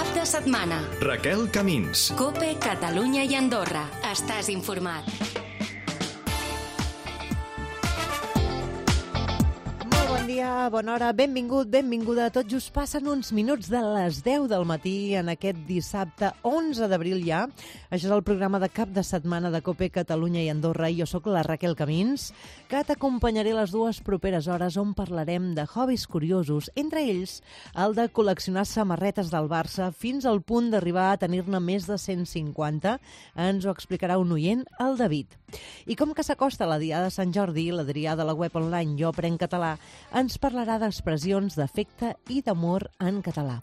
Cap de setmana. Raquel Camins. COPE, Catalunya i Andorra. Estàs informat. Bon dia, bona hora, benvingut, benvinguda. Tot just passen uns minuts de les 10 del matí en aquest dissabte 11 d'abril ja. Això és el programa de cap de setmana de COPE, Catalunya i Andorra. Jo sóc la Raquel Camins, que t'acompanярé les dues properes hores on parlarem de hobbies curiosos, entre ells el de col·leccionar samarretes del Barça fins al punt d'arribar a tenir-ne més de 150. Ens ho explicarà un oient, el David. I com que s'acosta la Diada de Sant Jordi, l'Adrià de la web online Jo Aprenc Català ens parlarà d'expressions d'afecte i d'amor en català.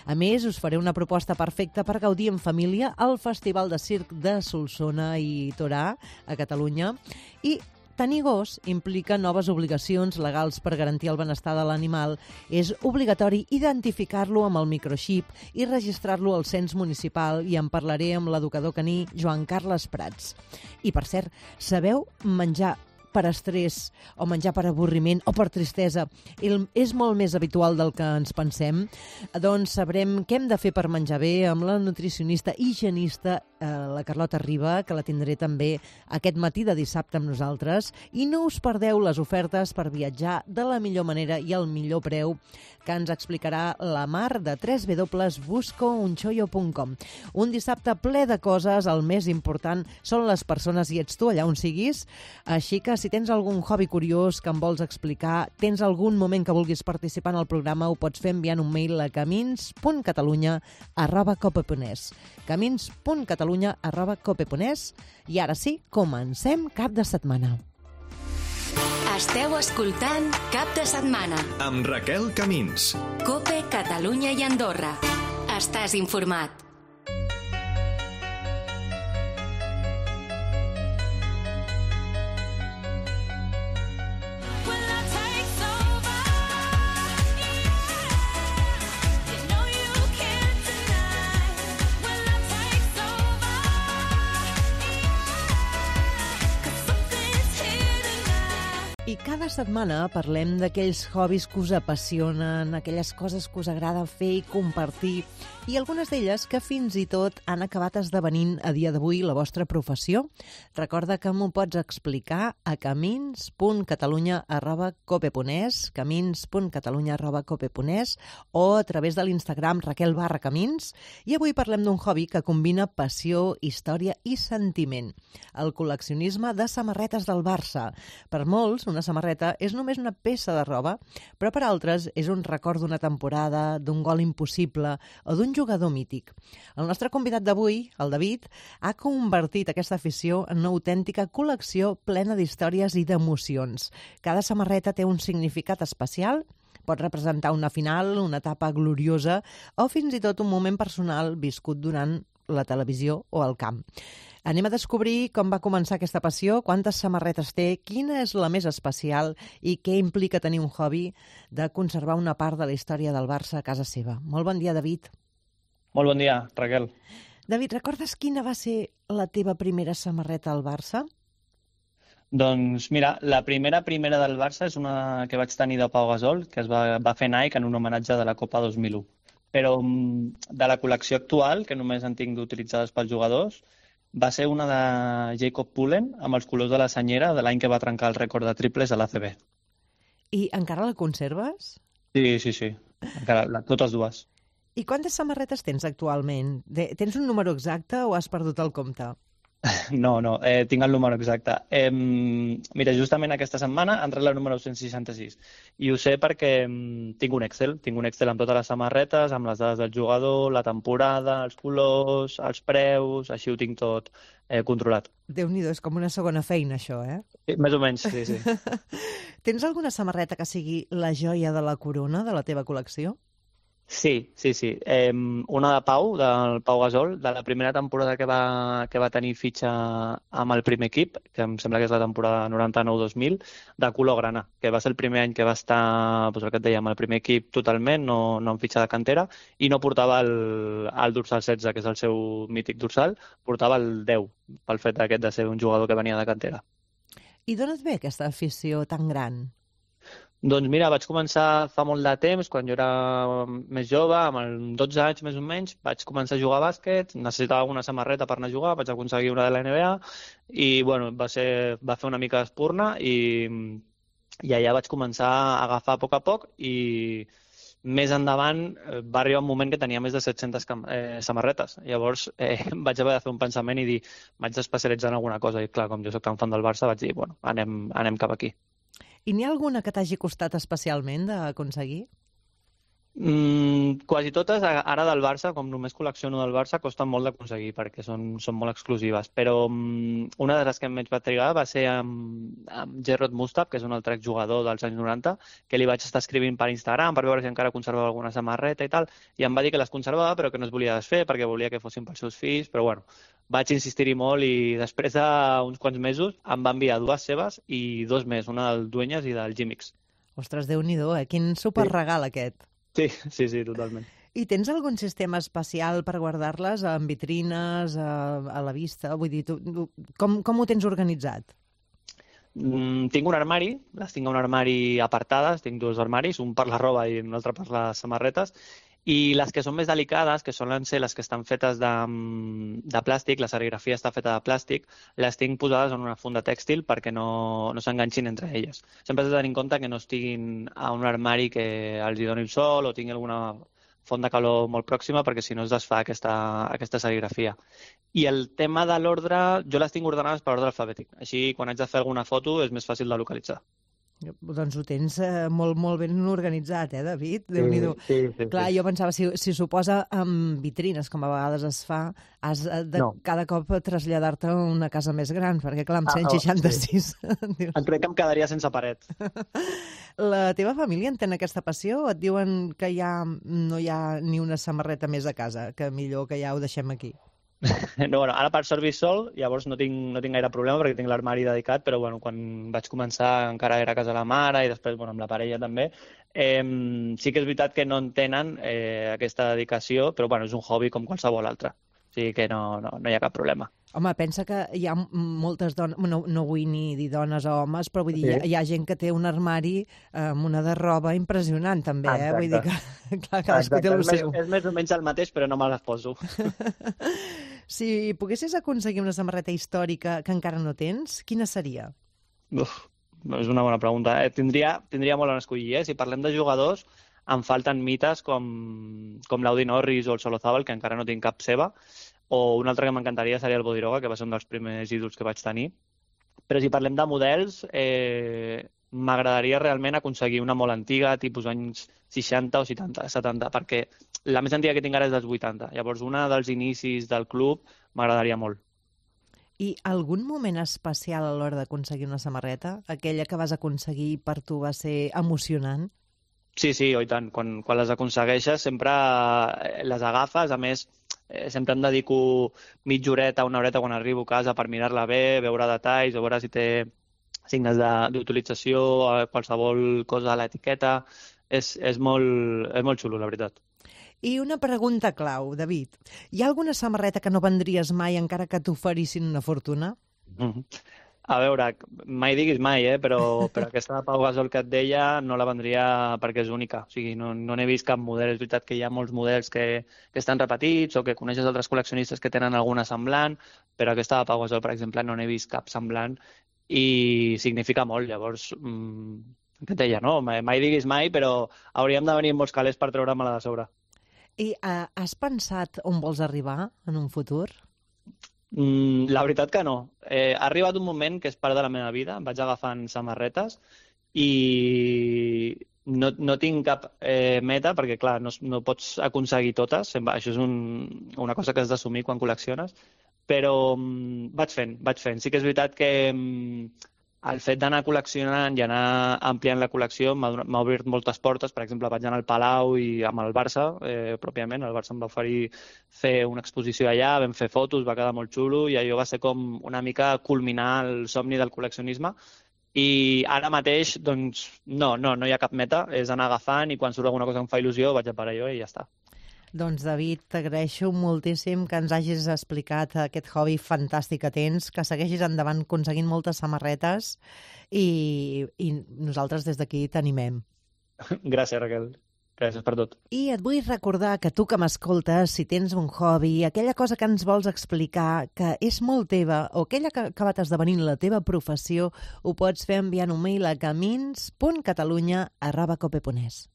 A més, us faré una proposta perfecta per gaudir en família al Festival de Circ de Solsona i Torà, a Catalunya. I tenir gos implica noves obligacions legals per garantir el benestar de l'animal. És obligatori identificar-lo amb el microxip i registrar-lo al cens municipal, i en parlaré amb l'educador caní Joan Carles Prats. I, per cert, sabeu menjar per estrès o menjar per avorriment o per tristesa és molt més habitual del que ens pensem? Doncs sabrem què hem de fer per menjar bé amb la nutricionista i higienista la Carlota Riba, que la tindré també aquest matí de dissabte amb nosaltres. I no us perdeu les ofertes per viatjar de la millor manera i al millor preu, que ens explicarà la Mar de www.buscounchoyo.com. Un dissabte ple de coses. El més important són les persones i ets tu allà on siguis. Així que si tens algun hobby curiós que em vols explicar, tens algun moment que vulguis participar en el programa, ho pots fer enviant un mail a camins.catalunya@cope.es. camins.catalunya@cope.es. I ara sí, comencem cap de setmana. Esteu escoltant Cap de setmana. Amb Raquel Camins. COPE, Catalunya i Andorra. Estàs informat. I cada setmana parlem d'aquells hobbies que us apassionen, aquelles coses que us agrada fer i compartir, i algunes d'elles que fins i tot han acabat esdevenint a dia d'avui la vostra professió. Recorda que m'ho pots explicar a camins.catalunya@cope.es, camins.catalunya@cope.es, o a través de l'Instagram Raquel_Camins. I avui parlem d'un hobby que combina passió, història i sentiment: el col·leccionisme de samarretes del Barça. Per molts, una samarreta és només una peça de roba, però per altres és un record d'una temporada, d'un gol impossible o d'un jugador mític. El nostre convidat d'avui, el David, ha convertit aquesta afició en una autèntica col·lecció plena d'històries i d'emocions. Cada samarreta té un significat especial, pot representar una final, una etapa gloriosa o fins i tot un moment personal viscut durant la televisió o el camp. Anem a descobrir com va començar aquesta passió, quantes samarretes té, quina és la més especial i què implica tenir un hobby de conservar una part de la història del Barça a casa seva. Molt bon dia, David. Molt bon dia, Raquel. David, recordes quina va ser la teva primera samarreta al Barça? Doncs mira, la primera del Barça és una que vaig tenir de Pau Gasol, que es va fer Nike en un homenatge de la Copa 2001. Però de la col·lecció actual, que només en tinc d'utilitzades pels jugadors, va ser una de Jacob Pullen amb els colors de la senyera de l'any que va trencar el rècord de triples a l'ACB. I encara la conserves? Sí. Encara, totes dues. I quantes samarretes tens actualment? Tens un número exacte o has perdut el compte? No, tinc el número exacte. Mira, justament aquesta setmana ha entrat la número 166 i ho sé perquè tinc un Excel amb totes les samarretes, amb les dades del jugador, la temporada, els colors, els preus, així ho tinc tot controlat. Déu-n'hi-do, és com una segona feina, això, eh? Sí, més o menys, sí. Tens alguna samarreta que sigui la joia de la corona de la teva col·lecció? Sí. Una de Pau, del Pau Gasol, de la primera temporada que va tenir fitxa amb el primer equip, que em sembla que és la temporada 99-2000, de color grana, que va ser el primer any que va estar, el que et deia, amb el primer equip totalment, no en fitxa de cantera, i no portava el dorsal 16, que és el seu mític dorsal, portava el 10, pel fet de ser un jugador que venia de cantera. I d'on et ve aquesta afició tan gran? Doncs mira, vaig començar fa molt de temps, quan jo era més jove, amb 12 anys més o menys, vaig començar a jugar a bàsquet, necessitava una samarreta per anar a jugar, vaig aconseguir una de la NBA i bueno, va fer una mica d'espurna i allà vaig començar a agafar a poc i més endavant va arribar un moment que tenia més de 700 samarretes. Llavors vaig haver de fer un pensament i dir, m'haig d'especialitzar en alguna cosa. I clar, com jo soc tan fan del Barça, vaig dir, bueno, anem cap aquí. I n'hi ha alguna que t'hagi costat especialment d'aconseguir? Quasi totes, ara del Barça, com només col·lecciono del Barça, costen molt d'aconseguir perquè són molt exclusives. Però una de les que més va trigar va ser amb Gerard Mustab, que és un altre exjugador dels anys 90, que li vaig estar escrivint per Instagram per veure si encara conservava alguna samarreta i tal, i em va dir que les conservava però que no es volia desfer perquè volia que fossin pels seus fills, però bueno, vaig insistir-hi molt i després d'uns quants mesos em va enviar 2 seves i 2 més, una del Dueñas i del Gimix. Ostres, Déu-n'hi-do, Quin superregal aquest. Sí, totalment. I tens algun sistema especial per guardar-les en vitrines, a la vista? Vull dir, com ho tens organitzat? Tinc un armari, les tinc a un armari apartades, tinc 2 armaris, un per la roba i un altre per les samarretes, i les que són més delicades, que solen ser les que estan fetes de plàstic, la serigrafia està feta de plàstic, les tinc posades en una funda tèxtil perquè no s'enganxin entre elles. Sempre has de tenir en compte que no estiguin a un armari que els hi doni el sol o tingui alguna font de calor molt pròxima perquè si no es desfà aquesta serigrafia. I el tema de l'ordre, jo les tinc ordenades per ordre alfabètic. Així, quan haig de fer alguna foto, és més fàcil de localitzar. Doncs ho tens molt ben organitzat, David? Déu-n'hi-do. Sí. Clar, jo pensava, si s'ho posa amb vitrines, com a vegades es fa, has de cada cop traslladar-te a una casa més gran, perquè clar, amb 166... Sí. Crec que em quedaria sense paret. La teva família entén aquesta passió? Et diuen que no hi ha ni una samarreta més a casa, que millor que ja ho deixem aquí? No, bueno, ara per sort visc sol, llavors no tinc gaire problema perquè tinc l'armari dedicat, però bueno, quan vaig començar encara era a casa de la mare i després amb la parella també. Sí que és veritat que no entenen aquesta dedicació, però bueno, és un hobby com qualsevol altre. O sigui que no hi ha cap problema. Home, pensa que hi ha moltes dones, no vull ni dir dones o homes, però vull dir, hi ha gent que té un armari amb una de roba impressionant també, Vull dir que clar, cadascú té el seu. És més o menys el mateix, però no me les poso. Si poguessis aconseguir una samarreta històrica que encara no tens, quina seria? És una bona pregunta. Tindria molt on escollir. Si parlem de jugadors, em falten mites com l'Audi Norris o el Solozábal, que encara no tinc cap seva, o un altre que m'encantaria seria el Bodiroga, que va ser un dels primers ídols que vaig tenir. Però si parlem de models, m'agradaria realment aconseguir una molt antiga, tipus anys 60 o 70, perquè la més antiga que tinc ara és dels 80. Llavors, una dels inicis del club m'agradaria molt. I algun moment especial a l'hora d'aconseguir una samarreta? Aquella que vas aconseguir per tu va ser emocionant? Sí, oi tant. Quan les aconsegueixes sempre les agafes. A més, sempre em dedico mitja horeta, una horeta quan arribo a casa per mirar-la bé, veure detalls, veure si té signes d'utilització, qualsevol cosa a l'etiqueta. És molt xulo, la veritat. I una pregunta clau, David. Hi ha alguna samarreta que no vendries mai encara que t'oferissin una fortuna? A veure, mai diguis mai, però aquesta de Pau Gasol que et deia no la vendria perquè és única. O sigui, no n'he vist cap model. És veritat que hi ha molts models que estan repetits o que coneixes altres col·leccionistes que tenen alguna semblant, però aquesta de Pau Gasol, per exemple, no n'he vist cap semblant i significa molt. Llavors, què et deia, no? Mai diguis mai, però hauríem de venir molts calés per treure-me-la de sobre. I has pensat on vols arribar en un futur? La veritat que no. Ha arribat un moment que és part de la meva vida. Em vaig agafant samarretes i no tinc cap meta perquè, clar, no pots aconseguir totes. Això és una cosa que has d'assumir quan col·lecciones. Però vaig fent. Sí que és veritat que el fet d'anar col·leccionant i anar ampliant la col·lecció m'ha obert moltes portes. Per exemple, vaig anar al Palau i amb el Barça, pròpiament. El Barça em va oferir fer una exposició allà, vam fer fotos, va quedar molt xulo i allò va ser com una mica culminar el somni del col·leccionisme. I ara mateix, doncs, no hi ha cap meta, és anar agafant i quan surt alguna cosa que em fa il·lusió vaig a per allò i ja està. Doncs, David, t'agraeixo moltíssim que ens hagis explicat aquest hobby fantàstic que tens, que segueixis endavant aconseguint moltes samarretes i nosaltres des d'aquí t'animem. Gràcies, Raquel. Gràcies per tot. I et vull recordar que tu que m'escoltes, si tens un hobby, aquella cosa que ens vols explicar, que és molt teva, o aquella que ha acabat esdevenint la teva professió, ho pots fer enviant un mail a camins.catalunya@cope.es.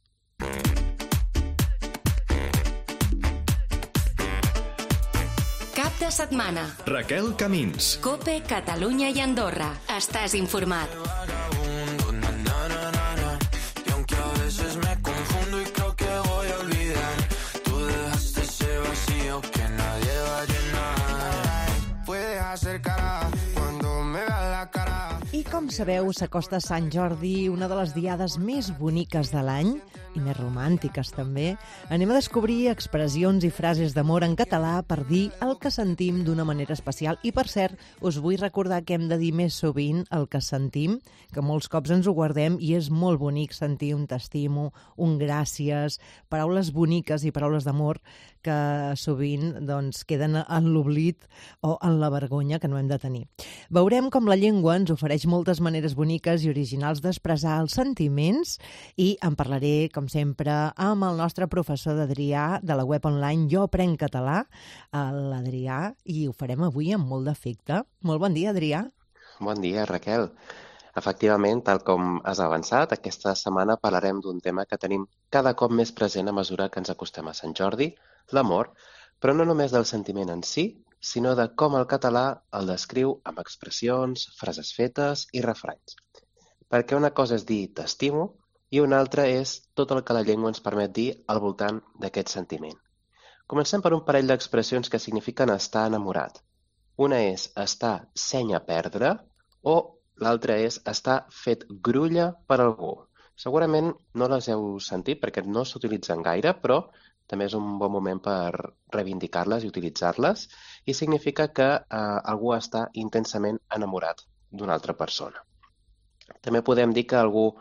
Cap de setmana. Raquel Camins. Cope, Catalunya i Andorra. Estàs informat. I com sabeu, s'acosta Sant Jordi, una de les diades més boniques de l'any, i més romàntiques també. Anem a descobrir expressions i frases d'amor en català per dir el que sentim d'una manera especial. I, per cert, us vull recordar que hem de dir més sovint el que sentim, que molts cops ens ho guardem i és molt bonic sentir un t'estimo, un gràcies, paraules boniques i paraules d'amor que sovint doncs, queden en l'oblit o en la vergonya que no hem de tenir. Veurem com la llengua ens ofereix moltes maneres boniques i originals d'expressar els sentiments i en parlaré, com sempre, amb el nostre professor d'Adrià de la web online Jo Aprenc Català, l'Adrià, i ho farem avui amb molt d'afecte. Molt bon dia, Adrià. Bon dia, Raquel. Efectivament, tal com has avançat, aquesta setmana parlarem d'un tema que tenim cada cop més present a mesura que ens acostem a Sant Jordi, l'amor, però no només del sentiment en si, sinó de com el català el descriu amb expressions, frases fetes i refranys. Perquè una cosa és dir t'estimo i una altra és tot el que la llengua ens permet dir al voltant d'aquest sentiment. Comencem per un parell d'expressions que signifiquen estar enamorat. Una és estar seny a perdre o l'altra és estar fet grulla per algú. Segurament no les heu sentit perquè no s'utilitzen gaire, però també és un bon moment per reivindicar-les i utilitzar-les i significa que algú està intensament enamorat d'una altra persona. També podem dir que algú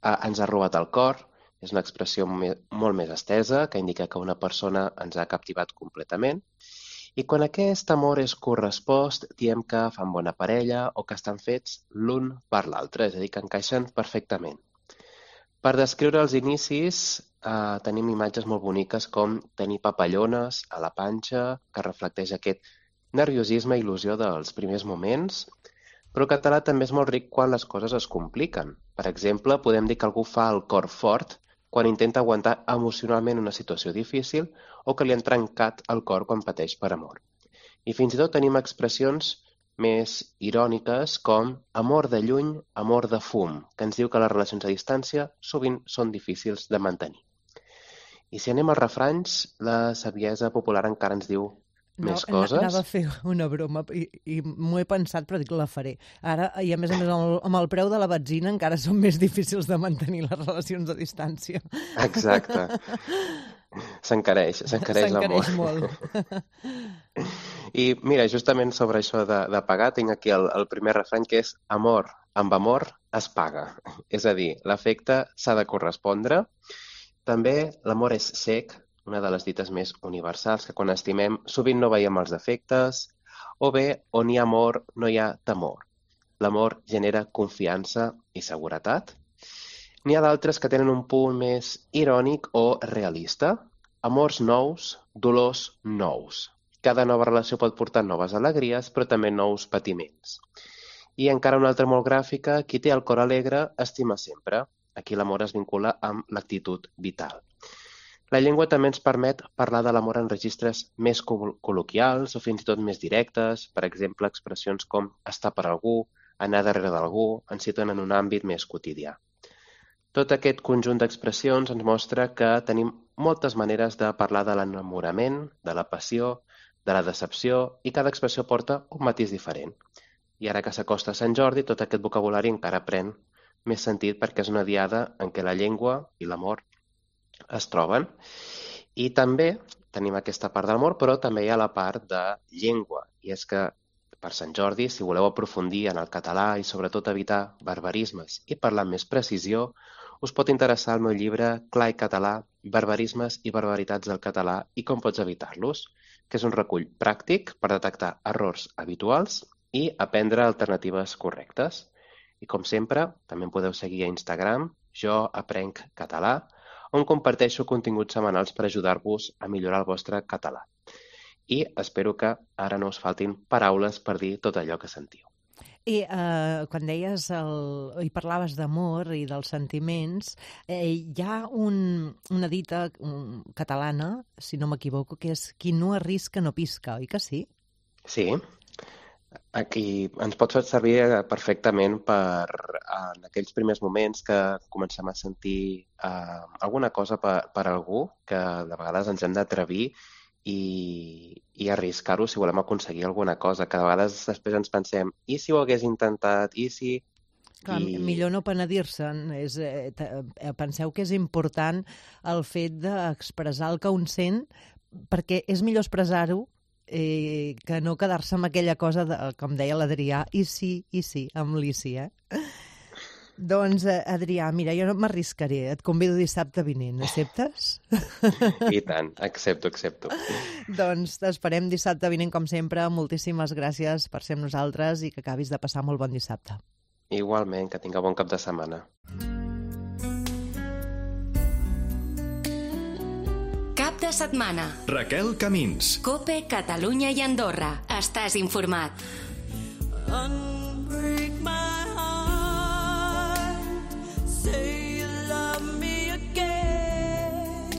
ens ha robat el cor, és una expressió molt més estesa que indica que una persona ens ha captivat completament. I quan aquest amor és correspost, diem que fan bona parella o que estan fets l'un per l'altre, és a dir, que encaixen perfectament. Per descriure els inicis, tenim imatges molt boniques com tenir papallones a la panxa, que reflecteix aquest nerviosisme i il·lusió dels primers moments, però el català també és molt ric quan les coses es compliquen. Per exemple, podem dir que algú fa el cor fort quan intenta aguantar emocionalment una situació difícil o que li han trencat el cor quan pateix per amor. I fins i tot tenim expressions més iròniques com amor de lluny, amor de fum, que ens diu que les relacions a distància sovint són difícils de mantenir. I si anem als refranys, la saviesa popular encara ens diu més coses. Anava a fer una broma i m'ho he pensat, però dic que la faré. Ara, i a més amb el preu de la benzina encara són més difícils de mantenir les relacions a distància. Exacte. S'encareix l'amor. S'encareix molt. I mira, justament sobre això de pagar, tinc aquí el primer refrany, que és amor amb amor es paga. És a dir, l'afecte s'ha de correspondre. També l'amor és cec, una de les dites més universals, que quan estimem sovint no veiem els defectes, o bé, on hi ha amor no hi ha temor. L'amor genera confiança i seguretat. N'hi ha d'altres que tenen un punt més irònic o realista. Amors nous, dolors nous. Cada nova relació pot portar noves alegries, però també nous patiments. I encara una altra molt gràfica, qui té el cor alegre estima sempre. Aquí l'amor es vincula amb l'actitud vital. La llengua també ens permet parlar de l'amor en registres més col·loquials o fins i tot més directes. Per exemple, expressions com estar per algú, anar darrere d'algú, ens situen en un àmbit més quotidià. Tot aquest conjunt d'expressions ens mostra que tenim moltes maneres de parlar de l'enamorament, de la passió, de la decepció, i cada expressió porta un matís diferent. I ara que s'acosta Sant Jordi, tot aquest vocabulari encara pren més sentit perquè és una diada en què la llengua i l'amor es troben. I també tenim aquesta part de l'amor, però també hi ha la part de llengua. I és que per Sant Jordi, si voleu aprofundir en el català i sobretot evitar barbarismes i parlar amb més precisió, us pot interessar el meu llibre Clar i català, barbarismes i barbaritats del català i com pots evitar-los, que és un recull pràctic per detectar errors habituals i aprendre alternatives correctes. I com sempre, també em podeu seguir a Instagram, Jo Aprenc Català, on comparteixo continguts setmanals per ajudar-vos a millorar el vostre català. I espero que ara no us faltin paraules per dir tot allò que sentiu. I quan deies i parlaves d'amor i dels sentiments, hi ha una dita catalana, si no m'equivoco, que és qui no arrisca no pisca, oi que sí? Sí, aquí ens pot fer servir perfectament en aquells primers moments que comencem a sentir alguna cosa per algú, que de vegades ens hem d'atrevir i arriscar-ho si volem aconseguir alguna cosa, que de vegades després ens pensem i si ho hagués intentat, i si... Clar, millor no penedir-se'n. Penseu que és important el fet d'expressar el que un sent, perquè és millor expressar-ho que no quedar-se amb aquella cosa, com deia l'Adrià, i sí, amb l'Isi, Doncs, Adrià, mira, jo no m'arriscaré, et convido dissabte vinent, acceptes? I tant, accepto. Doncs t'esperem dissabte vinent, com sempre. Moltíssimes gràcies per ser amb nosaltres i que acabis de passar molt bon dissabte. Igualment, que tinga bon cap de setmana. Cap de setmana. Raquel Camins. COPE, Catalunya i Andorra. Estàs informat. Unbreak my heart, say you love me again,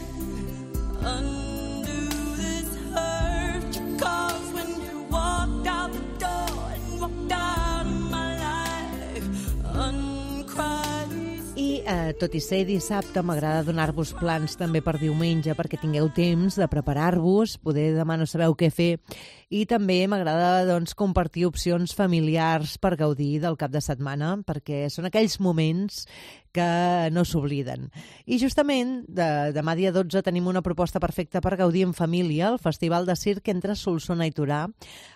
undo this hurt you caused when you walked out the door and walked out of my life, uncry these... I tot i ser dissabte, m'agrada donar-vos plans també per diumenge perquè tingueu temps de preparar-vos, poder demà no sabeu què fer, i també m'agrada compartir opcions familiars per gaudir del cap de setmana, perquè són aquells moments que no s'obliden. I justament, demà dia 12 tenim una proposta perfecta per gaudir en família, el Festival de Circ entre Solsona i Torà.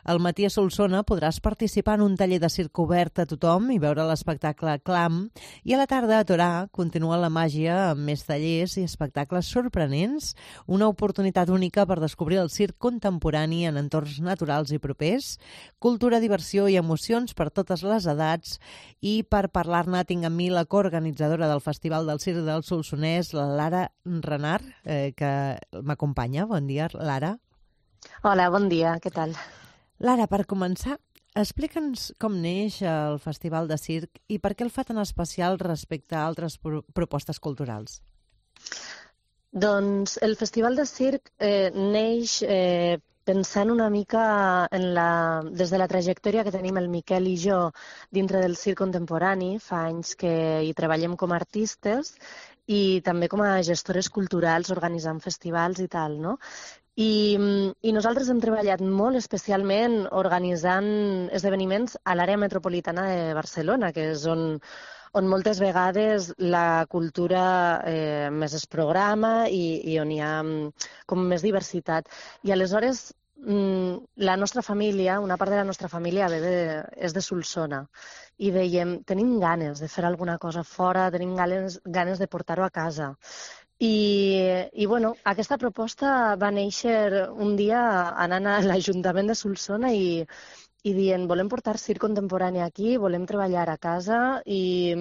Al matí a Solsona podràs participar en un taller de circ obert a tothom i veure l'espectacle Clam, i a la tarda a Torà continua la màgia amb més tallers i espectacles sorprenents, una oportunitat única per descobrir el circ contemporani en entorns naturals i propers, cultura, diversió i emocions per totes les edats, i per parlar-ne tinc amb mi la coorganitzadora del Festival del Circ del Solsonès, la Lara Renart, que m'acompanya. Bon dia, Lara. Hola, bon dia, què tal? Lara, per començar, explica'ns com neix el Festival de Circ i per què el fa tan especial respecte a altres propostes culturals. Doncs el Festival de Circ neix pensant una mica des de la trajectòria que tenim el Miquel i jo dintre del circ contemporani. Fa anys que hi treballem com a artistes i també com a gestores culturals organitzant festivals i tal, no? I nosaltres hem treballat molt especialment organitzant esdeveniments a l'àrea metropolitana de Barcelona, que és on moltes vegades la cultura més es programa i on hi ha com més diversitat. I aleshores la nostra família, una part de la nostra família és de Solsona i dèiem, tenim ganes de fer alguna cosa fora, tenim ganes de portar-ho a casa. I bueno, aquesta proposta va néixer un dia anant a l'Ajuntament de Solsona i dient, volem portar circ contemporani aquí, volem treballar a casa i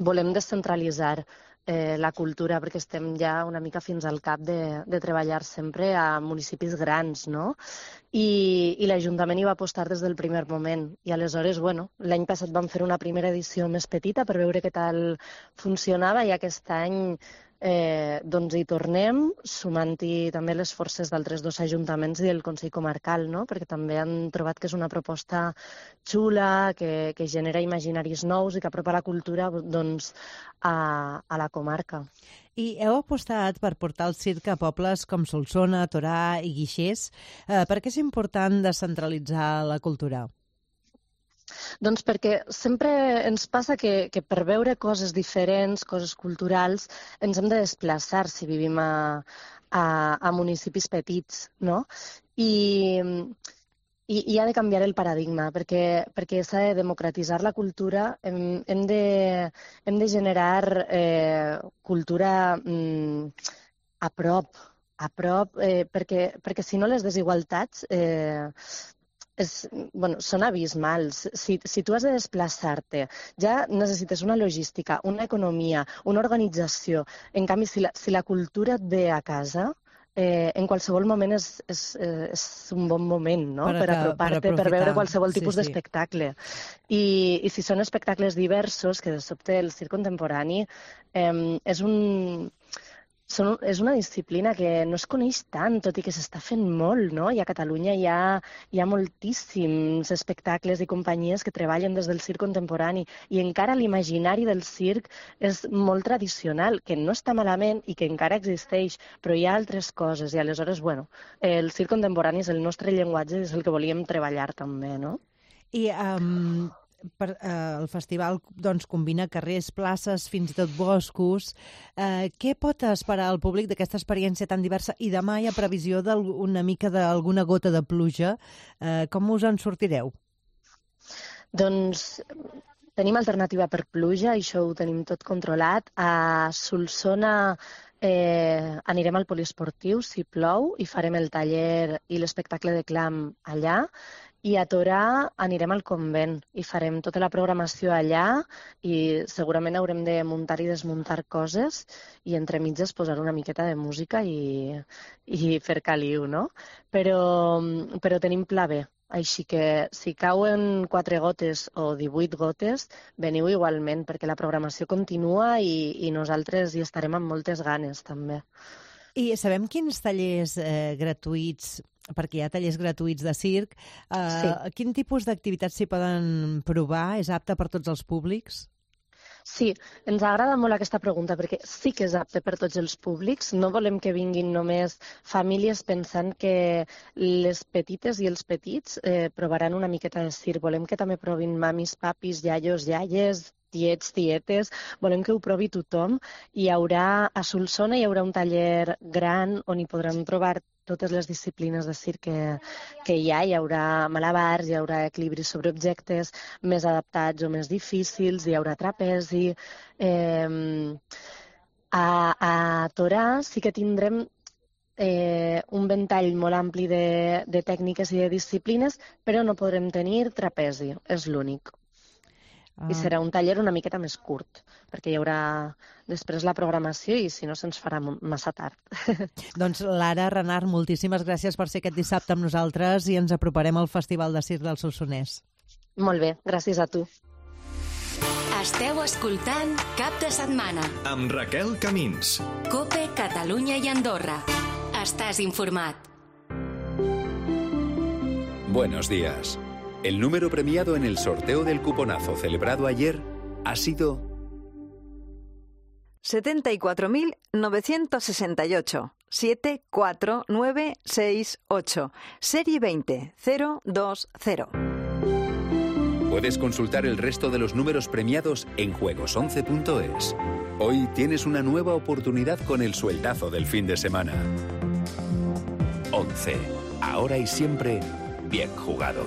volem descentralitzar la cultura, perquè estem ja una mica fins al cap de treballar sempre a municipis grans, no? I l'Ajuntament hi va apostar des del primer moment. I aleshores, bueno, l'any passat vam fer una primera edició més petita per veure què tal funcionava i aquest any doncs hi tornem, sumant-hi també les forces d'altres dos ajuntaments i el Consell Comarcal, no? Perquè també han trobat que és una proposta xula, que genera imaginaris nous i que apropa la cultura doncs, a la comarca. I heu apostat per portar el circ a pobles com Solsona, Torà i Guixers. Per què és important descentralitzar la cultura? Doncs perquè sempre ens passa que per veure coses diferents, coses culturals, ens hem de desplaçar si vivim a municipis petits, no? I I ha de canviar el paradigma, perquè s'ha de democratitzar la cultura, hem de generar cultura a prop, perquè si no les desigualtats són abismals. Si tu has de desplaçar-te, ja necessites una logística, una economia, una organització. En canvi, si la cultura et ve a casa, en qualsevol moment és un bon moment, no? Per apropar-te, per veure qualsevol tipus d'espectacle. I si són espectacles diversos, que de sobte el circ contemporani és una disciplina que no es coneix tant, tot i que s'està fent molt, no? I a Catalunya hi ha moltíssims espectacles i companyies que treballen des del circ contemporani i encara l'imaginari del circ és molt tradicional, que no està malament i que encara existeix, però hi ha altres coses i aleshores, el circ contemporani és el nostre llenguatge i és el que volíem treballar també, no? I el festival combina carrers, places, fins i tot boscos. Què pot esperar el públic d'aquesta experiència tan diversa? I demà hi ha previsió d'una mica d'alguna gota de pluja. Com us en sortireu? Doncs tenim alternativa per pluja, això ho tenim tot controlat. A Solsona anirem al poliesportiu, si plou, i farem el taller i l'espectacle de clam allà. I a Torà anirem al convent i farem tota la programació allà i segurament haurem de muntar i desmuntar coses i entre mitges posar una miqueta de música i fer caliu, no? Però tenim pla B, així que si cauen 4 gotes o 18 gotes, veniu igualment perquè la programació continua i nosaltres hi estarem amb moltes ganes també. I sabem quins tallers gratuïts, perquè hi ha tallers gratuïts de circ, quin tipus d'activitats s'hi poden provar? És apte per tots els públics? Sí, ens agrada molt aquesta pregunta perquè sí que és apte per tots els públics. No volem que vinguin només famílies pensant que les petites i els petits provaran una miqueta de circ. Volem que també provin mamis, papis, iaios, iaies, tiets, tietes, volem que ho provi tothom. A Solsona hi haurà un taller gran on hi podran trobar totes les disciplines de circ que hi ha. Hi haurà malabars, hi haurà equilibris sobre objectes més adaptats o més difícils, hi haurà trapezi. A Torà sí que tindrem un ventall molt ampli de tècniques i de disciplines, però no podrem tenir trapezi, és l'únic. I serà un taller una miqueta més curt, perquè hi haurà després la programació i si no se'ns farà massa tard. Doncs Lara Renart, moltíssimes gràcies per ser aquest dissabte amb nosaltres i ens aproparem al Festival de Circ del Solsonès. Molt bé, gràcies a tu. Esteu escoltant Cap de Setmana. Amb Raquel Camins. COPE, Catalunya i Andorra. Estàs informat. Buenos días. El número premiado en el sorteo del cuponazo celebrado ayer ha sido 74.968. 74968. Serie 20020. Puedes consultar el resto de los números premiados en juegos11.es. Hoy tienes una nueva oportunidad con el sueldazo del fin de semana. 11. Ahora y siempre, bien jugado.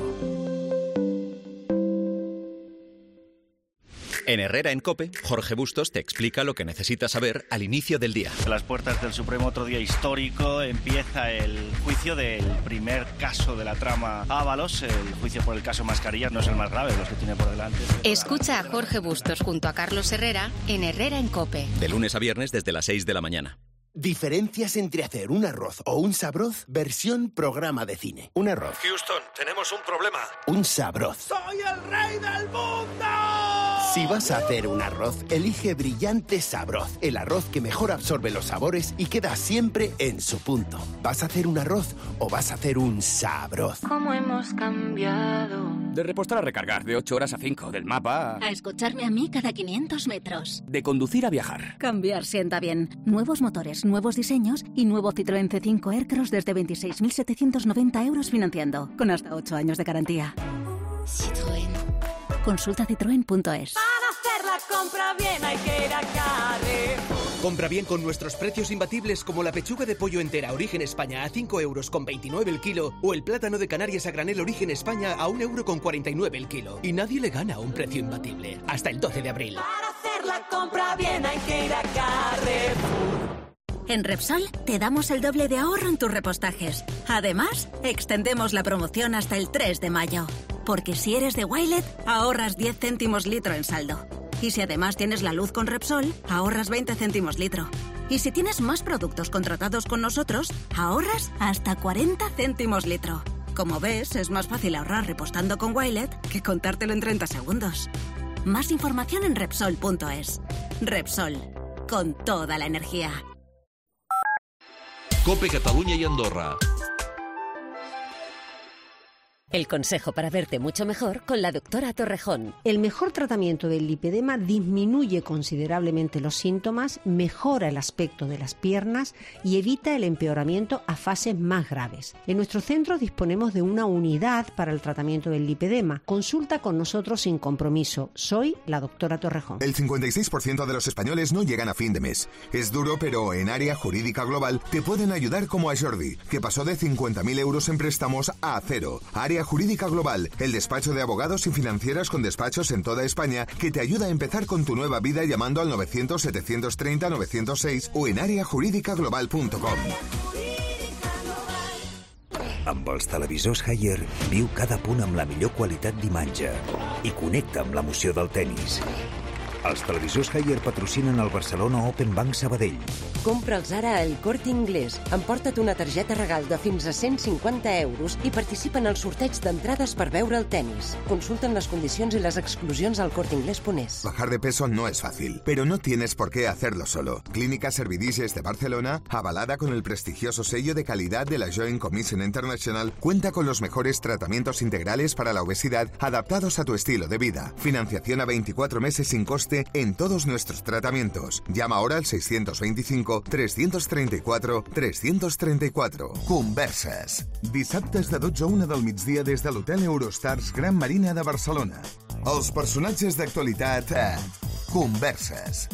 En Herrera en COPE, Jorge Bustos te explica lo que necesitas saber al inicio del día. A las puertas del Supremo, otro día histórico, empieza el juicio del primer caso de la trama Ábalos. El juicio por el caso Mascarillas no es el más grave de los que tiene por delante. Escucha a Jorge Bustos junto a Carlos Herrera en Herrera en COPE. De lunes a viernes desde las 6 de la mañana. Diferencias entre hacer un arroz o un sabroz versión programa de cine. Un arroz. Houston, tenemos un problema. Un sabroz. ¡Soy el rey del mundo! Si vas a hacer un arroz, elige Brillante Sabroz, el arroz que mejor absorbe los sabores y queda siempre en su punto. ¿Vas a hacer un arroz o vas a hacer un sabroz? ¿Cómo hemos cambiado? De repostar a recargar, de 8 horas a 5, del mapa a escucharme a mí cada 500 metros. De conducir a viajar. Cambiar sienta bien. Nuevos motores, nuevos diseños y nuevo Citroën C5 Aircross desde 26.790 euros financiando, con hasta 8 años de garantía. Citroën. Consulta citroen.es. Para hacer la compra bien hay que ir a Carrefour. Compra bien con nuestros precios imbatibles como la pechuga de pollo entera Origen España a 5,29 € el kilo o el plátano de Canarias a granel Origen España a 1,49 € el kilo. Y nadie le gana a un precio imbatible. Hasta el 12 de abril. Para hacer la compra bien hay que ir a Carrefour. En Repsol te damos el doble de ahorro en tus repostajes. Además, extendemos la promoción hasta el 3 de mayo. Porque si eres de Wilet, ahorras 10 céntimos litro en saldo. Y si además tienes la luz con Repsol, ahorras 20 céntimos litro. Y si tienes más productos contratados con nosotros, ahorras hasta 40 céntimos litro. Como ves, es más fácil ahorrar repostando con Wilet que contártelo en 30 segundos. Más información en Repsol.es. Repsol, con toda la energía. COPE Catalunya y Andorra. El consejo para verte mucho mejor con la doctora Torrejón. El mejor tratamiento del lipedema disminuye considerablemente los síntomas, mejora el aspecto de las piernas y evita el empeoramiento a fases más graves. En nuestro centro disponemos de una unidad para el tratamiento del lipedema. Consulta con nosotros sin compromiso. Soy la doctora Torrejón. El 56% de los españoles no llegan a fin de mes. Es duro, pero en Área Jurídica Global te pueden ayudar, como a Jordi, que pasó de 50.000 euros en préstamos a 0. Área Jurídica Global, el despacho de abogados y financieras con despachos en toda España que te ayuda a empezar con tu nueva vida llamando al 900-730-906 o en areajurídicaglobal.com. Amb els televisors Haier, viu cada punt amb la millor qualitat d'imatge i connecta amb l'emoció del tennis. Els televisors Haier patrocinen el Barcelona Open Bank Sabadell. Compra'ls ara al Corte Inglés. Emporta't una targeta regal de fins a 150 euros i participa en el sorteig d'entrades per veure el tenis. Consulten las condicions i les exclusions al corteinglés.es. Bajar de peso no es fácil, pero no tienes por qué hacerlo solo. Clínica Servidices de Barcelona, avalada con el prestigioso sello de calidad de la Joint Commission International, cuenta con los mejores tratamientos integrales para la obesidad adaptados a tu estilo de vida. Financiación a 24 meses sin coste en todos nuestros tratamientos. Llama ahora al 625-334-334. Converses. Dissabtes de 12 a 1 del migdia des de l'Hotel Eurostars Gran Marina de Barcelona. Els personatges d'actualitat a Converses.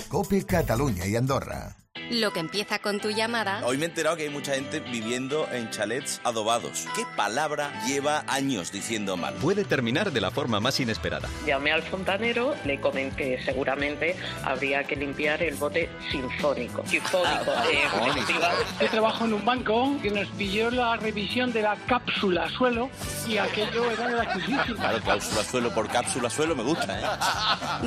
COPE Catalunya y Andorra. Lo que empieza con tu llamada... Hoy me he enterado que hay mucha gente viviendo en chalets adobados. ¿Qué palabra lleva años diciendo mal? Puede terminar de la forma más inesperada. Llamé al fontanero, le comenté que seguramente habría que limpiar el bote sinfónico. Sinfónico. Yo trabajo en un banco que nos pilló la revisión de la cápsula suelo y aquello era gratuísimo. Claro, cláusula suelo por cápsula suelo me gusta, ¿eh?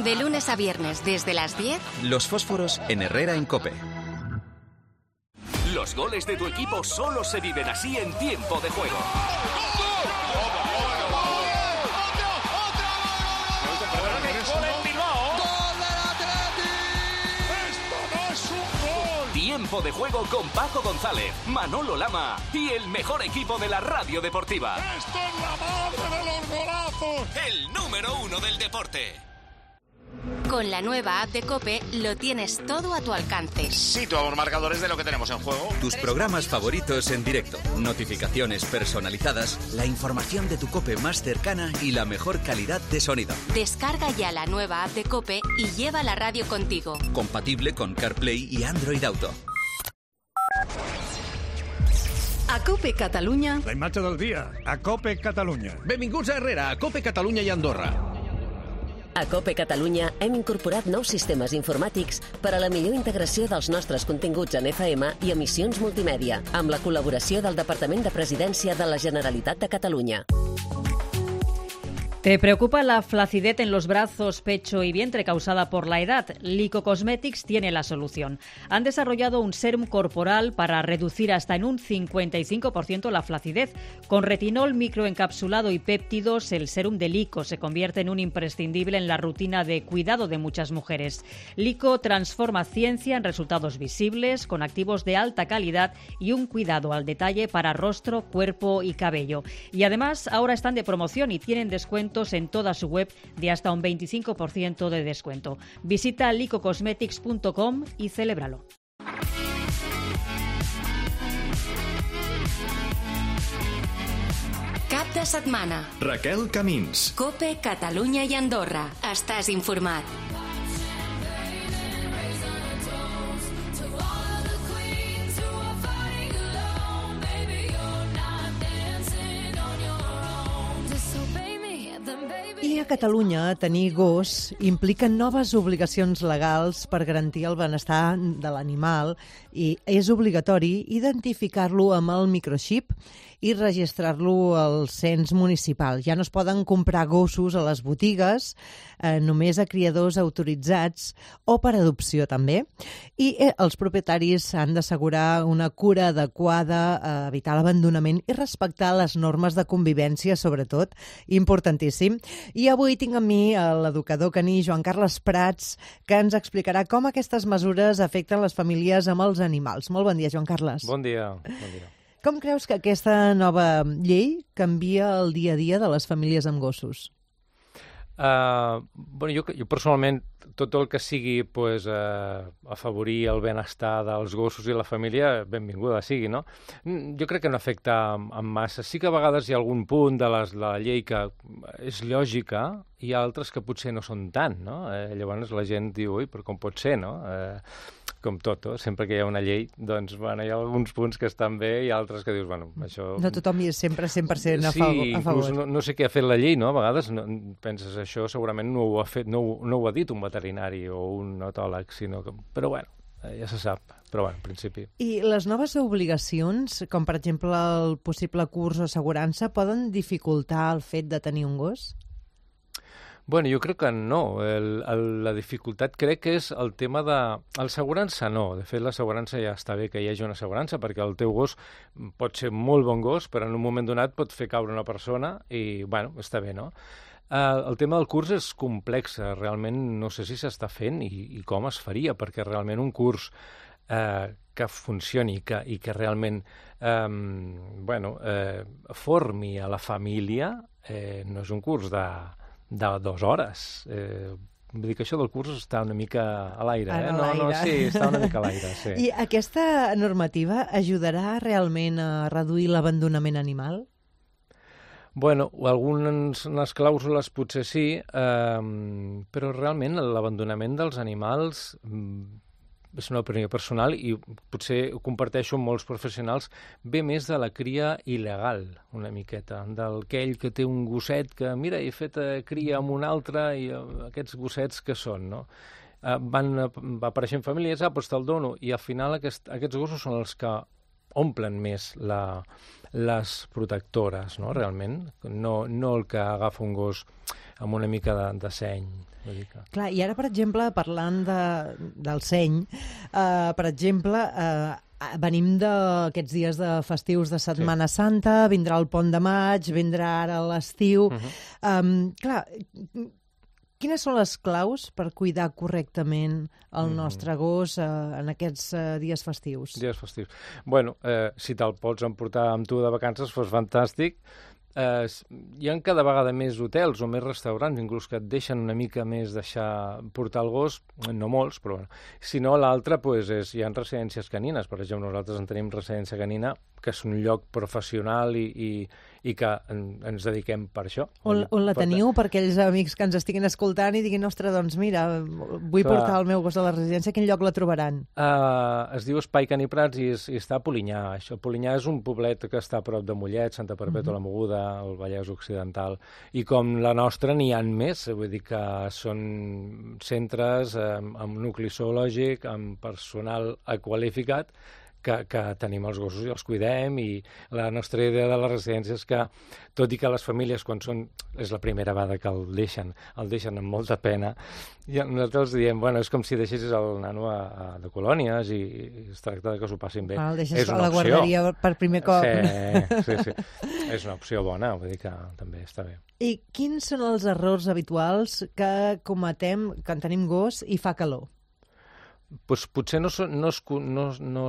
De lunes a viernes, desde las 10... Los fósforos en Herrera en COPE. Los goles de tu equipo solo se viven así en tiempo de juego. Tiempo de juego con Paco González, Manolo Lama y el mejor equipo de la radio deportiva. ¡Esto es la madre de los golazos! El número 1 del deporte. Con la nueva app de COPE lo tienes todo a tu alcance. Situamos marcadores de lo que tenemos en juego. Tus programas favoritos en directo, notificaciones personalizadas, la información de tu COPE más cercana y la mejor calidad de sonido. Descarga ya la nueva app de COPE y lleva la radio contigo. Compatible con CarPlay y Android Auto. A COPE Catalunya... La imatge del dia, a COPE Catalunya. Benvinguts a Herrera, a COPE Catalunya i Andorra. A COPE Catalunya hem incorporat nous sistemes informàtics per a la millor integració dels nostres continguts en FM i emissions multimèdia, amb la col·laboració del Departament de Presidència de la Generalitat de Catalunya. ¿Te preocupa la flacidez en los brazos, pecho y vientre causada por la edad? Lico Cosmetics tiene la solución. Han desarrollado un sérum corporal para reducir hasta en un 55% la flacidez. Con retinol microencapsulado y péptidos, el sérum de Lico se convierte en un imprescindible en la rutina de cuidado de muchas mujeres. Lico transforma ciencia en resultados visibles, con activos de alta calidad y un cuidado al detalle para rostro, cuerpo y cabello. Y además, ahora están de promoción y tienen descuentos en toda su web de hasta un 25% de descuento. Visita licocosmetics.com y celébralo. Cap de setmana. Raquel Camins. COPE Catalunya i Andorra. Estàs informat. Aquí a Catalunya, tenir gos implica noves obligacions legals per garantir el benestar de l'animal i és obligatori identificar-lo amb el microxip i registrar-lo al cens municipal. Ja no es poden comprar gossos a les botigues, només a criadors autoritzats o per adopció també. I els propietaris han d'assegurar una cura adequada, evitar l'abandonament i respectar les normes de convivència, sobretot, importantíssim. I avui tinc amb mi l'educador caní Joan Carles Prats, que ens explicarà com aquestes mesures afecten les famílies amb els animals. Molt bon dia, Joan Carles. Bon dia. Bon dia. Com creus que aquesta nova llei canvia el dia a dia de les famílies amb gossos? Jo personalment, tot el que sigui afavorir el benestar dels gossos i la família, benvinguda sigui, no? Jo crec que no afecta en massa. Sí que a vegades hi ha algun punt de la llei que és lògica i altres que potser no són tant, no? Llavors la gent diu, ui, però com pot ser, no? Com tot, sempre que hi ha una llei, doncs, hi ha alguns punts que estan bé i altres que dius, això... No tothom hi és sempre 100% a favor. Sí, inclús no sé què ha fet la llei, no? A vegades penses, això segurament no ho ha fet, no ho ha dit un veterinari o un etòleg, sinó que... Però ja se sap, però en principi. I les noves obligacions, com per exemple el possible curs o assegurança, poden dificultar el fet de tenir un gos? Jo crec que no. La dificultat crec que és el tema de... L'assegurança no. De fet, l'assegurança ja està bé que hi hagi una assegurança perquè el teu gos pot ser molt bon gos, però en un moment donat pot fer caure una persona i, està bé, no? El tema del curs és complex. Realment no sé si s'està fent i com es faria, perquè realment un curs que funcioni i que realment formi a la família no és un curs de 2 hores. Vull dir que això del curs està una mica a l'aire. Sí, està una mica a l'aire, sí. I aquesta normativa ajudarà realment a reduir l'abandonament animal? Algunes clàusules potser sí, però realment l'abandonament dels animals és una opinió personal i potser ho comparteixo amb molts professionals, ve més de la cria il·legal, una miqueta, d'aquell que té un gosset que, mira, he fet cria amb un altre i aquests gossets que són, no? Van apareixent famílies, doncs te'l dono, i al final aquests gossos són els que omplen més les protectores, no?, realment, no el que agafa un gos amb una mica de seny. Clar, i ara, per exemple, parlant del seny, per exemple, venim d'aquests dies de festius de Setmana Santa, vindrà el Pont de Maig, vindrà ara l'estiu... Clar, quines són les claus per cuidar correctament el nostre gos en aquests dies festius? Dies festius. Si te'l pots emportar amb tu de vacances, fos fantàstic. Hi ha cada vegada més hotels o més restaurants, inclús que et deixen una mica més portar el gos, no molts, però si no, l'altre hi ha residències canines. Per exemple, nosaltres en tenim residència canina, que és un lloc professional i que ens dediquem per això. On la teniu per aquells amics que ens estiguin escoltant i diguin, ostres, doncs mira, vull portar el meu gos a la residència, a quin lloc la trobaran? Es diu Espai Cani Prats i està a Polinyà. Polinyà és un poblet que està a prop de Mollet, Santa Perpètua la Moguda, el Vallès Occidental, i com la nostra n'hi ha més, vull dir que són centres amb nucli zoològic, amb personal qualificat, que tenim els gossos i els cuidem, i la nostra idea de la residència és que, tot i que les famílies, quan és la primera vegada que el deixen amb molta pena, i nosaltres diem, és com si deixessis el nano de colònies i es tracta que s'ho passin bé. El deixes a la guarderia per primer cop. Sí. És una opció bona, vull dir que també està bé. I quins són els errors habituals que cometem quan tenim gos i fa calor? Potser no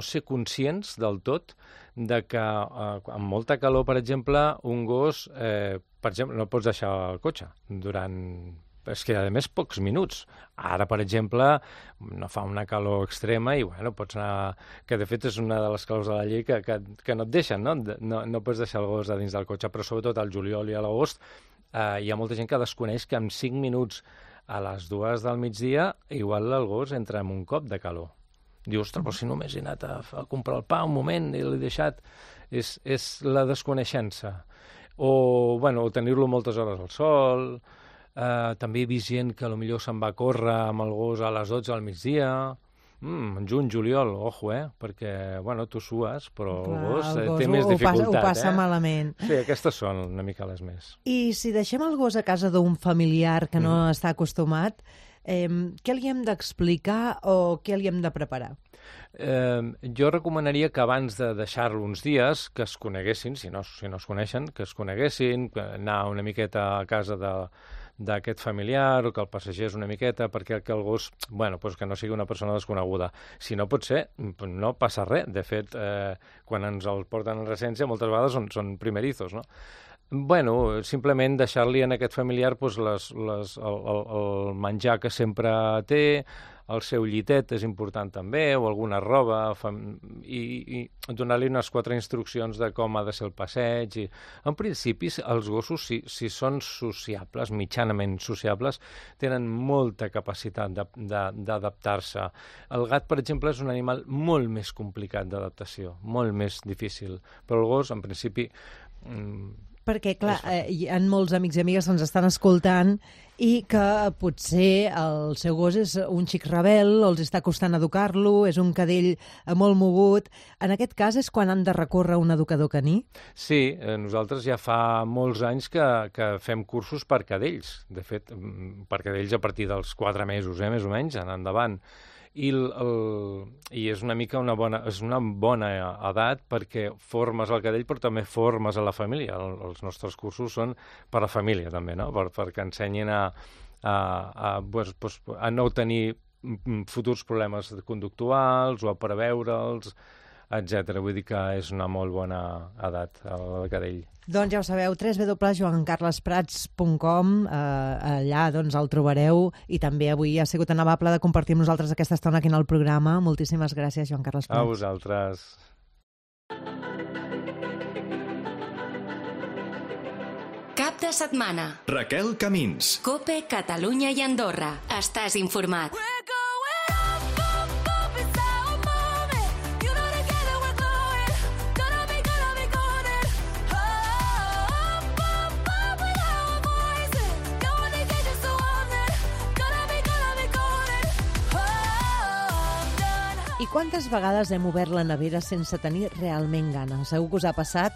ser conscients del tot de que amb molta calor, per exemple, un gos, per exemple, no pots deixar el cotxe durant... És que, a més, pocs minuts. Ara, per exemple, no fa una calor extrema i, pots anar... Que, de fet, és una de les claus de la llei que no et deixen, no? No pots deixar el gos a dins del cotxe, però sobretot al juliol i a l'agost hi ha molta gent que desconeix que en 5 minuts a les 2 del migdia, igual el gos entra en un cop de calor. Diu, ostres, però si només he anat a comprar el pa un moment i l'he deixat... És la desconeixença. O tenir-lo moltes hores al sol, També he vist gent que potser se'n va a córrer amb el gos a les 12 al migdia. Juny, juliol, ojo, perquè, bueno, tu sues, però el gos té més dificultat. Ho passa malament. Sí, aquestes són una mica les més. I si deixem el gos a casa d'un familiar que no està acostumat, què li hem d'explicar o què li hem de preparar? Jo recomanaria que abans de deixar-lo uns dies, que es coneguessin, si no es coneixen, que es coneguessin, anar una miqueta a casa d'aquest familiar o que el passegés una miqueta perquè el gos, que no sigui una persona desconeguda. Si no pot ser, no passa res. De fet, quan ens el porten en residència moltes vegades són primerizos, no? Simplement deixar-li en aquest familiar el menjar que sempre té, el seu llitet és important també, o alguna roba, i donar-li unes 4 instruccions de com ha de ser el passeig. En principi, els gossos, si són sociables, mitjanament sociables, tenen molta capacitat d'adaptar-se. El gat, per exemple, és un animal molt més complicat d'adaptació, molt més difícil, però el gos, en principi... Perquè, clar, hi ha molts amics i amigues que ens estan escoltant i que potser el seu gos és un xic rebel, o els està costant educar-lo, és un cadell molt mogut. En aquest cas és quan han de recórrer a un educador caní? Sí, nosaltres ja fa molts anys que fem cursos per cadells. De fet, per cadells a partir dels 4 mesos, més o menys, en endavant. I és una mica una bona edat perquè formes el cadell però també formes a la família. Els nostres cursos són per a la família també, no? Perquè ensenyin a no tenir futurs problemes conductuals o a preveure'ls, etc. Vull dir que és una molt bona edat el cadell. Doncs ja ho sabeu, www.joancarlesprats.com, allà doncs el trobareu, i també avui ha sigut tan amable de compartir amb nosaltres aquesta estona aquí en el programa. Moltíssimes gràcies, Joan Carles Prats. A vosaltres. Cap de setmana. Raquel Camins. COPE, Catalunya i Andorra. Estàs informat. I quantes vegades hem obert la nevera sense tenir realment gana? Segur que us ha passat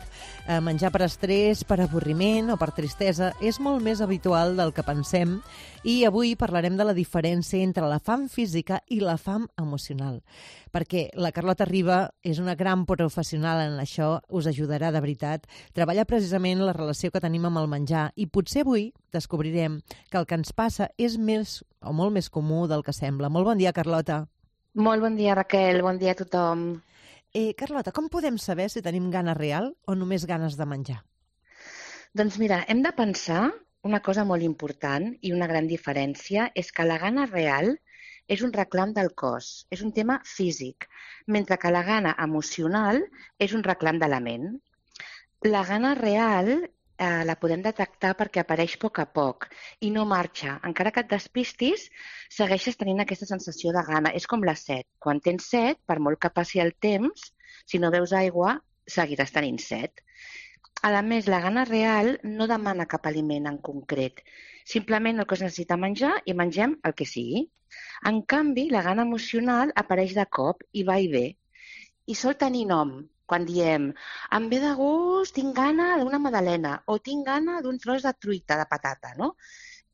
menjar per estrès, per avorriment o per tristesa. És molt més habitual del que pensem i avui parlarem de la diferència entre la fam física i la fam emocional. Perquè la Carlota Riba és una gran professional en això, us ajudarà de veritat. Treballa precisament la relació que tenim amb el menjar i potser avui descobrirem que el que ens passa és més o molt més comú del que sembla. Molt bon dia, Carlota. Molt bon dia, Raquel. Bon dia a tothom. Carlota, com podem saber si tenim gana real o només ganes de menjar? Doncs mira, hem de pensar una cosa molt important i una gran diferència és que la gana real és un reclam del cos, és un tema físic, mentre que la gana emocional és un reclam de la ment. La gana real la podem detectar perquè apareix a poc i no marxa. Encara que et despistis, segueixes tenint aquesta sensació de gana. És com la set. Quan tens set, per molt que passi el temps, si no beus aigua, seguiràs tenint set. A més, la gana real no demana cap aliment en concret. Simplement el que es necessita menjar i mengem el que sigui. En canvi, la gana emocional apareix de cop i va i ve. I sol tenir nom. Quan diem, em ve de gust, tinc gana d'una magdalena o tinc gana d'un tros de truita, de patata, no?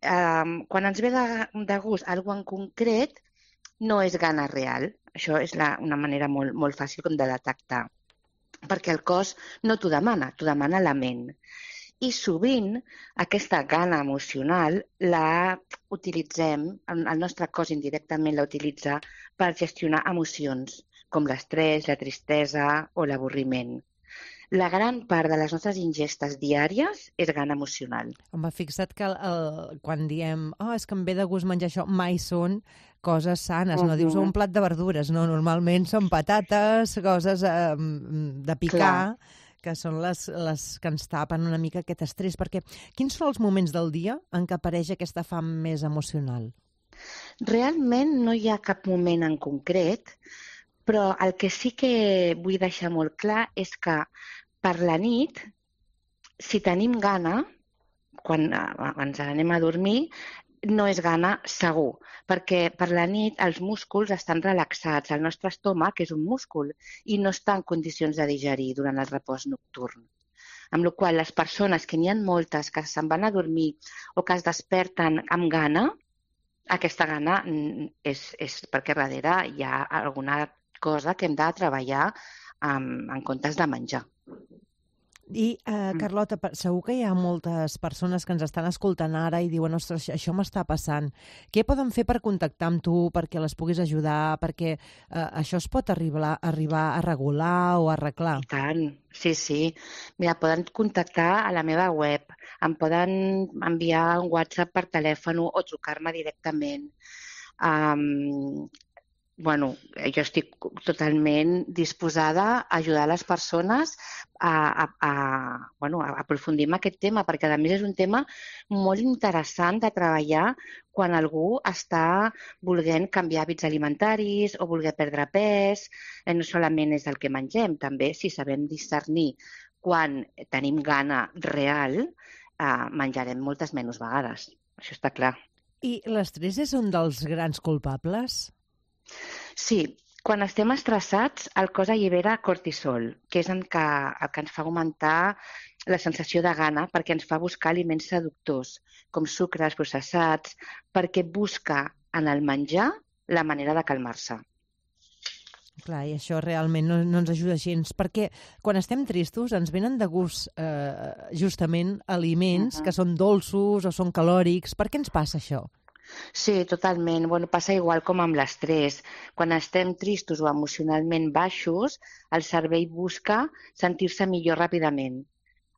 Quan ens ve de gust alguna en concret, no és gana real. Això és una manera molt fàcil com de detectar. Perquè el cos no t'ho demana la ment. I sovint aquesta gana emocional la utilitzem, el nostre cos indirectament la utilitza per gestionar emocions, com l'estrès, la tristesa o l'avorriment. La gran part de les nostres ingestes diàries és gana emocional. Home, fixa't que quan diem és que em ve de gust menjar això, mai són coses sanes, no dius un plat de verdures, no, normalment són patates, coses de picar, que són les que ens tapen una mica aquest estrès, perquè quins són els moments del dia en què apareix aquesta fam més emocional? Realment no hi ha cap moment en concret, però el que sí que vull deixar molt clar és que per la nit, si tenim gana, quan ens anem a dormir, no és gana segur, perquè per la nit els músculs estan relaxats, el nostre estómac és un múscul i no està en condicions de digerir durant el repòs nocturn. Amb la qual cosa, les persones, que n'hi ha moltes que se'n van a dormir o que es desperten amb gana, aquesta gana és perquè darrere hi ha alguna cosa que hem de treballar en comptes de menjar. I, Carlota, segur que hi ha moltes persones que ens estan escoltant ara i diuen, ostres, això m'està passant. Què poden fer per contactar amb tu, perquè les puguis ajudar, perquè això es pot arribar a regular o a arreglar? I tant, sí. Mira, poden contactar a la meva web, em poden enviar un WhatsApp per telèfon o trucar-me directament. Jo estic totalment disposada a ajudar les persones a aprofundir en aquest tema, perquè a més és un tema molt interessant de treballar quan algú està volent canviar hàbits alimentaris o voler perdre pes. No solament és el que mengem, també si sabem discernir quan tenim gana real, menjarem moltes menys vegades. Això està clar. I l'estrès és un dels grans culpables? Sí, quan estem estressats el cos allibera cortisol, que és el que ens fa augmentar la sensació de gana, perquè ens fa buscar aliments seductors, com sucres processats, perquè busca en el menjar la manera de calmar-se. Clar, i això realment no ens ajuda gens, perquè quan estem tristos ens venen de gust justament aliments que són dolços o són calòrics. Per què ens passa això? Sí, totalment. Passa igual com amb l'estrès. Quan estem tristos o emocionalment baixos, el cervell busca sentir-se millor ràpidament.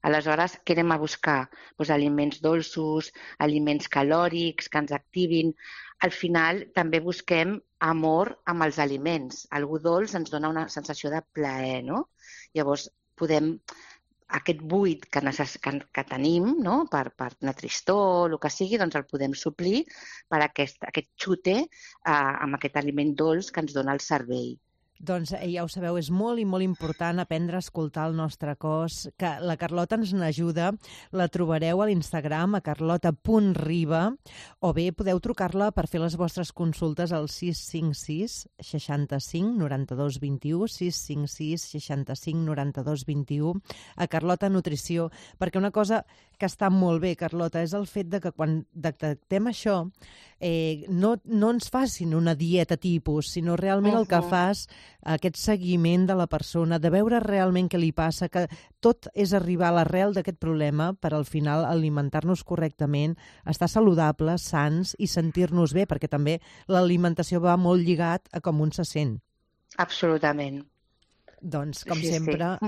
Aleshores, què anem a buscar? Aliments dolços, aliments calòrics que ens activin. Al final, també busquem amor amb els aliments. Algú dolç ens dona una sensació de plaer, no? Llavors, podem... Aquest buit que tenim, no? per una tristor o el que sigui, doncs el podem suplir per aquest xute amb aquest aliment dolç que ens dona el cervell. Doncs ja ho sabeu, és molt i molt important aprendre a escoltar el nostre cos, que la Carlota ens n'ajuda. La trobareu a l'Instagram, a carlota.riba, o bé podeu trucar-la per fer les vostres consultes al 656 65 92 21, 656 65 92 21, a Carlota Nutrició, perquè una cosa que està molt bé, Carlota, és el fet de que quan detectem això no ens facin una dieta tipus, sinó realment el que fas, aquest seguiment de la persona, de veure realment què li passa, que tot és arribar a l'arrel d'aquest problema per al final alimentar-nos correctament, estar saludables, sans i sentir-nos bé, perquè també l'alimentació va molt lligat a com un se sent. Absolutament. Doncs, com sempre...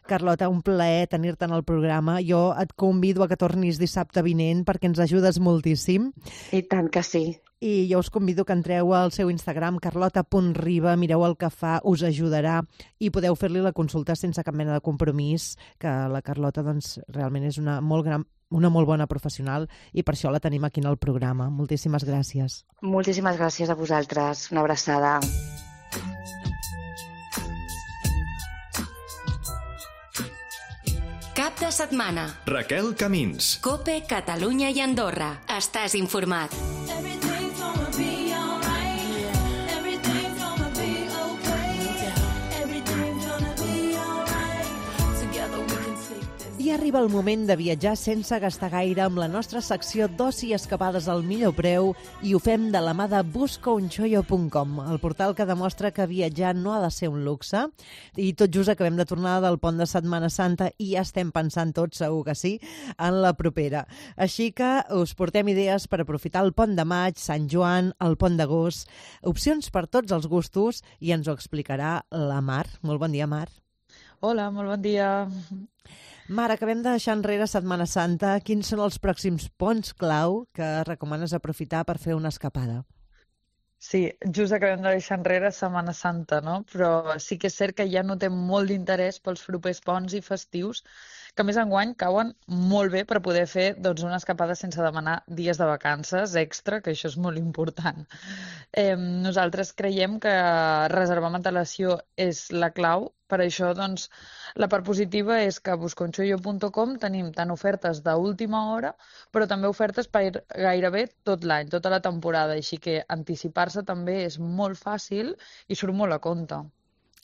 Carlota, un plaer tenir-te en el programa. Jo et convido a que tornis dissabte vinent perquè ens ajudes moltíssim. I tant que sí. I jo us convido que entreu al seu Instagram, carlota.riba, mireu el que fa, us ajudarà i podeu fer-li la consulta sense cap mena de compromís, que la Carlota doncs, realment és una molt bona professional i per això la tenim aquí en el programa. Moltíssimes gràcies. Moltíssimes gràcies a vosaltres. Una abraçada. Cap de setmana. Raquel Camins. COPE, Catalunya i Andorra. Estàs informat. I arriba el moment de viatjar sense gastar gaire amb la nostra secció d'oci i escapades al millor preu i ho fem de la mà de buscaunxollo.com, el portal que demostra que viatjar no ha de ser un luxe. I tot just acabem de tornar del pont de Setmana Santa i ja estem pensant tots, segur que sí, en la propera. Així que us portem idees per aprofitar el pont de maig, Sant Joan, el pont d'agost, opcions per tots els gustos i ens ho explicarà la Mar. Molt bon dia, Mar. Hola, molt bon dia. Mar, acabem de deixar enrere Setmana Santa. Quins són els pròxims ponts clau que recomanes aprofitar per fer una escapada? Sí, just acabem de deixar enrere Setmana Santa, no? Però sí que és cert que ja notem molt d'interès pels propers ponts i festius que a més enguany cauen molt bé per poder fer doncs, una escapada sense demanar dies de vacances extra, que això és molt important. Nosaltres creiem que reservar amb antelació és la clau. Per això, doncs, la part positiva és que a busconchollo.com tenim tant ofertes d'última hora, però també ofertes per gairebé tot l'any, tota la temporada, així que anticipar-se també és molt fàcil i surt molt a compte.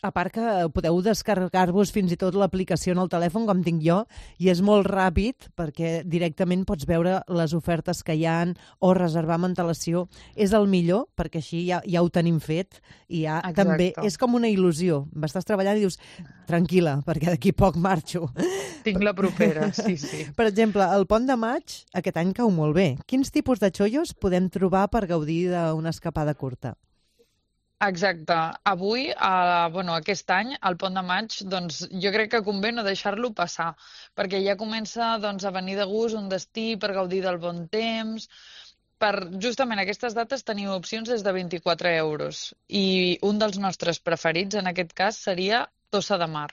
A part que podeu descarregar-vos fins i tot l'aplicació en el telèfon, com tinc jo, i és molt ràpid perquè directament pots veure les ofertes que hi ha o reservar amb antelació. És el millor perquè així ja ho tenim fet i ja també és com una il·lusió. Estàs treballant i dius, tranquil·la, perquè d'aquí poc marxo. Tinc la propera, sí. Per exemple, el Pont de Maig aquest any cau molt bé. Quins tipus de xollos podem trobar per gaudir d'una escapada curta? Exacte. Avui, aquest any, al Pont de Maig, doncs, jo crec que convé no deixar-lo passar, perquè ja comença a venir de gust un destí per gaudir del bon temps. Per justament aquestes dates teniu opcions des de 24 euros i un dels nostres preferits en aquest cas seria Tossa de Mar.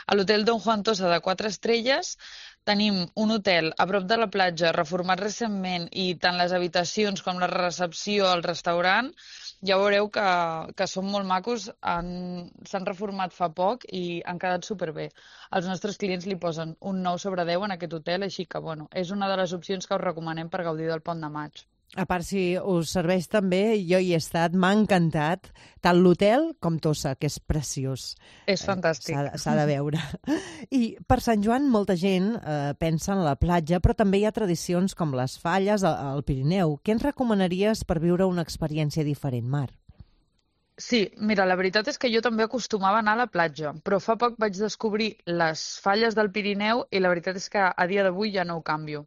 A l'hotel Don Juan Tossa de 4 estrelles tenim un hotel a prop de la platja, reformat recentment, i tant les habitacions com la recepció, el restaurant, ja veureu que són molt macos, s'han reformat fa poc i han quedat superbé. Els nostres clients li posen un 9 sobre 10 en aquest hotel, així que és una de les opcions que us recomanem per gaudir del Pont de Maig. A part, si us serveix també, jo hi he estat, m'ha encantat, tant l'hotel com Tossa, que és preciós. És fantàstic. S'ha de veure. I per Sant Joan molta gent pensa en la platja, però també hi ha tradicions com les falles al Pirineu. Què ens recomanaries per viure una experiència diferent, Mar? Sí, mira, la veritat és que jo també acostumava a anar a la platja, però fa poc vaig descobrir les falles del Pirineu i la veritat és que a dia d'avui ja no ho canvio.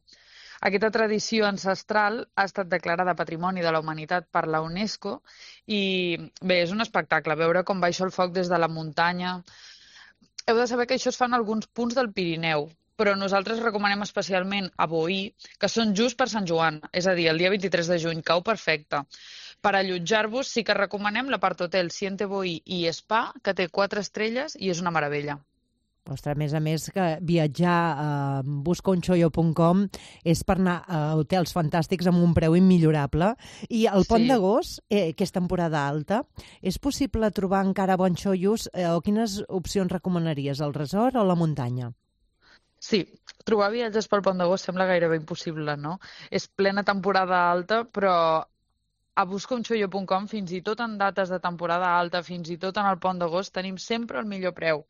Aquesta tradició ancestral ha estat declarada Patrimoni de la Humanitat per la UNESCO i bé, és un espectacle veure com baixa el foc des de la muntanya. Heu de saber que això es fa en alguns punts del Pirineu, però nosaltres recomanem especialment a Boí, que són just per Sant Joan, és a dir, el dia 23 de juny, cau perfecte. Per allotjar-vos sí que recomanem l'apart hotel Siente Boí i Spa, que té 4 estrelles i és una meravella. Ostres, a més que viatjar a busconchollo.com és per anar a hotels fantàstics amb un preu immillorable. I el Pont d'Agost, que és temporada alta, és possible trobar encara bons xollos o quines opcions recomanaries, el resort o la muntanya? Sí, trobar viatges pel Pont d'Agost sembla gairebé impossible, no? És plena temporada alta, però a busconchollo.com, fins i tot en dates de temporada alta, fins i tot en el Pont d'Agost, tenim sempre el millor preu.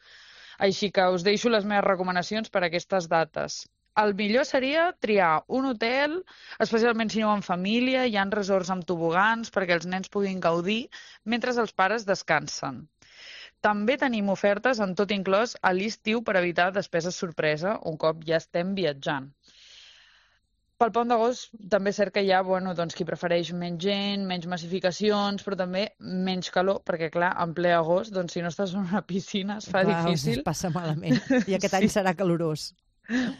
Així que us deixo les meves recomanacions per a aquestes dates. El millor seria triar un hotel, especialment si aneu en família, hi ha resorts amb tobogans perquè els nens puguin gaudir mentre els pares descansen. També tenim ofertes en tot inclòs a l'estiu per evitar despeses sorpresa un cop ja estem viatjant. Pel Pont d'Agost també és cert que hi ha qui prefereix menys gent, menys massificacions, però també menys calor, perquè clar, en ple agost, si no estàs en una piscina es fa difícil. Es passa malament, i aquest any serà calorós.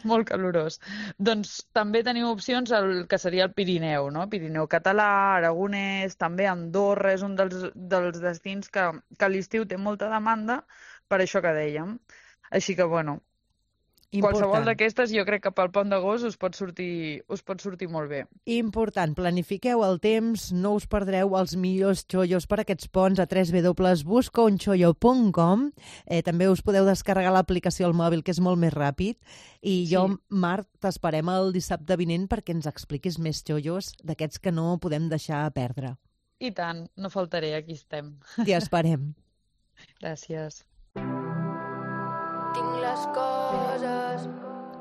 Molt calorós. Doncs també tenim opcions al que seria el Pirineu, no? Pirineu català, aragonès, també Andorra, és un dels destins que a l'estiu té molta demanda, per això que dèiem. Així que, qualsevol d'aquestes jo crec que pel Pont d'Agost us pot sortir molt bé. Important, planifiqueu el temps, no us perdreu els millors xollos per aquests ponts a www.busconchollo.com. També us podeu descarregar l'aplicació al mòbil, que és molt més ràpid. I jo, Marc, t'esperem el dissabte vinent perquè ens expliquis més xollos d'aquests que no podem deixar perdre. I tant, no faltaré, aquí estem. T'hi esperem. Gràcies. Tinc les coses...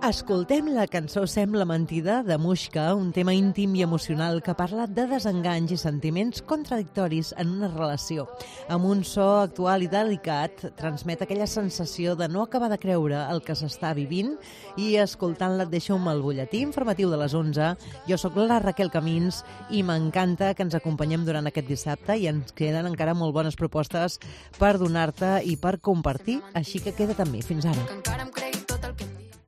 Escoltem la cançó Sembla mentida de Muixca, un tema íntim i emocional que parla de desenganys i sentiments contradictoris en una relació. Amb un so actual i delicat, transmet aquella sensació de no acabar de creure el que s'està vivint i escoltant-la et deixo amb el butlletí informatiu de les 11. Jo sóc la Raquel Camins i m'encanta que ens acompanyem durant aquest dissabte i ens queden encara molt bones propostes per donar-te i per compartir, així que queda't amb mi. Fins ara.